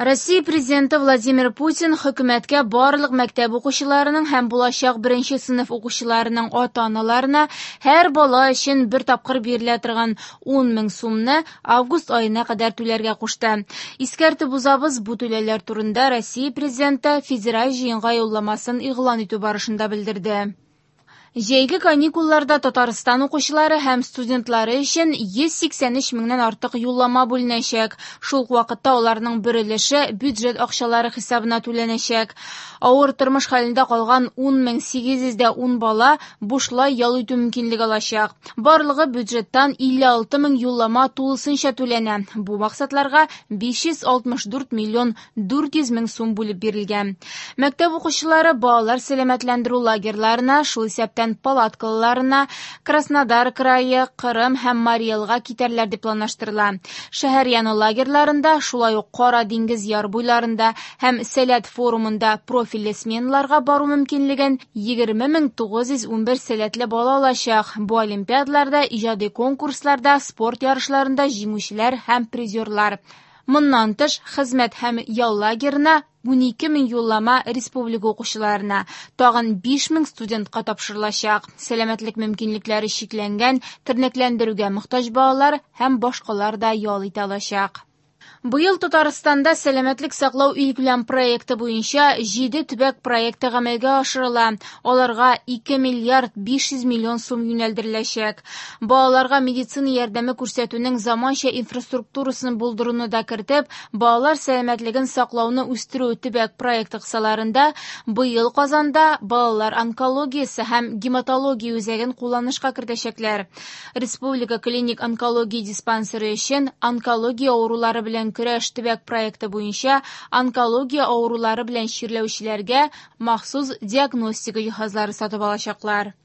Россия Президенты Владимир Путин хөкүмәткә барлык мәктәп укучыларының һәм булачак беренче сыйныф укучыларының ата-аналарына һәр бала өчен бер тапкыр бирелә торган 10 мең сумны август аена кадәр түләргә кушты. Искәртеп узабыз, бу түләүләр турында Россия Президенты Федераль җыенга юлламасын игълан итү барышында белдерде. Җәйге каникулларда Татарстан укучылары һәм студентлары өчен 183 меңнән артык юллама бүленәчәк. Шул ук вакытта аларның бер өлеше бюджет акчалары хисабына түләнәчәк. Авыр тормыш хәлендә калган 10 810 бала бушлай ял итү мөмкинлеге алачак. Барлыгы бюджеттан 56 мең юллама тулысынча түләнә. Бу максатларга 564 миллион 400 мең сум бүлеп бирелгән. Мәктәп укучылары балалар сәламәтләндерү лагерьларына, шул исәптән палаткаларына, Краснодар крае, Кырым һәм Марий Элга китәрләр дип планлаштырыла. Шәһәр яны лагерьларында, шулай ук Кара диңгез яр буйларында һәм Сәләт форумында профильле сменаларга бару мөмкинлеген 20 911 сәләтле бала алачак. Бу олимпиадаларда, иҗади конкурсларда, спорт ярышларында җиңүчеләр һәм призерлар. Моннан тыш, хезмәт һәм ял лагерына 12 мең юллама республика укучыларына, тагын 5 мең студентка тапшырылачак. Сәламәтлек мөмкинлекләре чикләнгән, тернәкләндерүгә мохтаҗ балалар һәм башкалар да ял итә алачак. Быел Татарстанда сәламәтлек саклау илкүләм проекты буенча 7 төбәк проекты гамәлгә ашырыла. Аларга 2 миллиард 500 миллион сум юнәлдереләчәк. Балаларга медицина ярдәме күрсәтүнең заманча инфраструктурасын булдыруны да кертеп, балалар сәламәтлеген саклауны үстерү төбәк проекты кысаларында быел Казанда балалар онкологиясе һәм гематология үзәген кулланышка кертәчәкләр. Республика клиник онкология диспансеры өчен онкология авырулары белән көрәш төбәк проекты буенча онкология авырулары белән чирләүчеләргә махсус диагностика җиһазлары сатып алачаклар.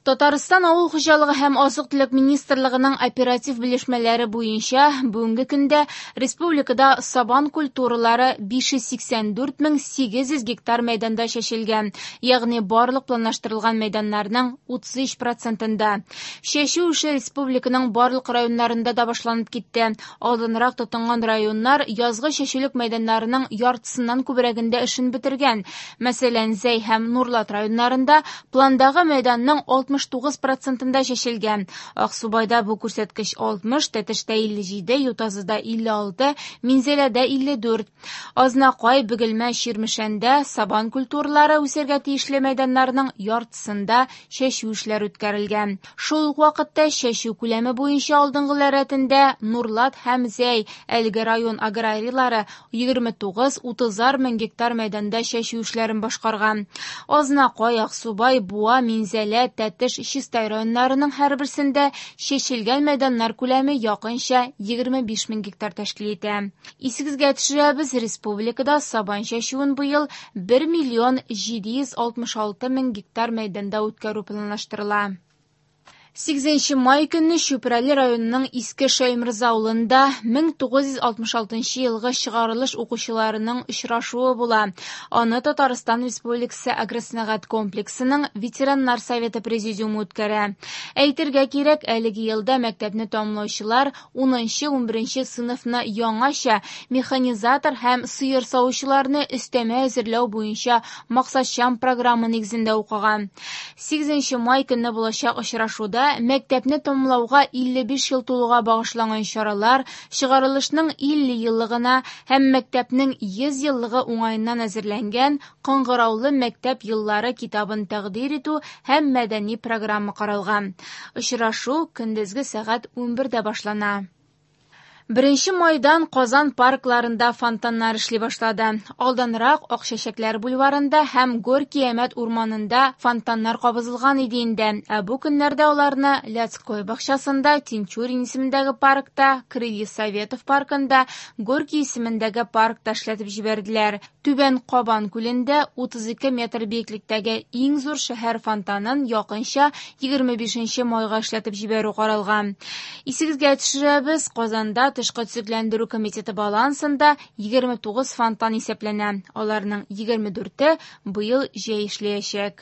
Татарстан авыл хуҗалыгы һәм азык-төлек министрлыгының оператив белешмәләре буенча бүгенге көндә республикада сабан культуралары 584 мең 800 гектар мәйданда чәчелгән, ягъни барлык планлаштырылган мәйданнарның 33 процентында. Чәчү эше республиканың барлык районнарында да башланып китте. Алданрак тотынган районнар язгы чәчүлек мәйданнарының яртысыннан күбрәгендә эшен бетергән. Мәсәлән, Зәй һәм Нурлат районнарында пландагы мәйданның 69 процентында чәчелгән. Аксубайда бу күрсәткеч 60, Тәтештә 57, Ютазыда 56, Минзәләдә 54. Азнакай, Бөгелмә, Чирмешәндә сабан культуралары үсәргә тиешле мәйданнарның яртысында чәчү эшләре үткәрелгән. Шул ук вакытта чәчү күләме буенча алдынгылар рәтендә Нурлат һәм Зәй. Әлеге район аграрийлары 29-30 мең гектар мәйданда чәчү эшләрен башкарган. Азнакай, Аксубай, Буа, Минзәлә, Тәтеш, Чистай районнарының һәрберсендә чәчелгән мәйданнар күләме якынча 25 мең гектар тәшкил итә. Исегезгә төшерәбез, республикада сабан чәчүен быел 1 миллион 766 мең гектар мәйданда үткәрү планлаштырыла. 8 май көнне Чүпрәле районының Иске Шәйморза авылында 1966 елгы чыгарылыш укучыларының очрашуы була. Аны Татарстан Республикасы агросәнәгать комплексының ветераннар советы президиумы үткәрә. Әйтергә кирәк, әлеге елда мәктәпне тәмамлаучылар 10-11 сыйныфны яңача механизатор һәм сыер савучыларны өстәмә әзерләү буенча максатчан программа нигезендә укыган. 8 май көнне булачак очрашуда мәктәпне тәмамлауга 55 ел тулуга багышланган чаралар, чыгарылышның 50 еллыгына һәм мәктәпнең 100 еллыгы уңаеннан әзерләнгән Кыңгыраулы мәктәп еллары китабын тәкъдир итү һәм мәдәни программа каралган. Очрашу көндезге сәгать 11дә башлана. 1 майдан Казан паркларында фонтаннар эшли башлады. Алданрак Акчәчәкләр бульварында һәм Горький Әмәт урманында фонтаннар кабызылган иде инде. Ә бу көннәрдә аларны Лядской бакчасында, Тинчурин исемендәге паркта, Крылья Советов паркында, Горький исемендәге паркта эшләтеп җибәрделәр. Түбән Кабан күлендә 32 метр биеклектәге иң зур шәһәр фонтанын якынча 25 майга эшләтеп җибәрү каралган. Исегезгә төшерәбез, Казанда Тышкы төзекләндерү комитеты балансында 29 фонтан исәпләнә. Аларның 24-е быел җәй эшләячәк.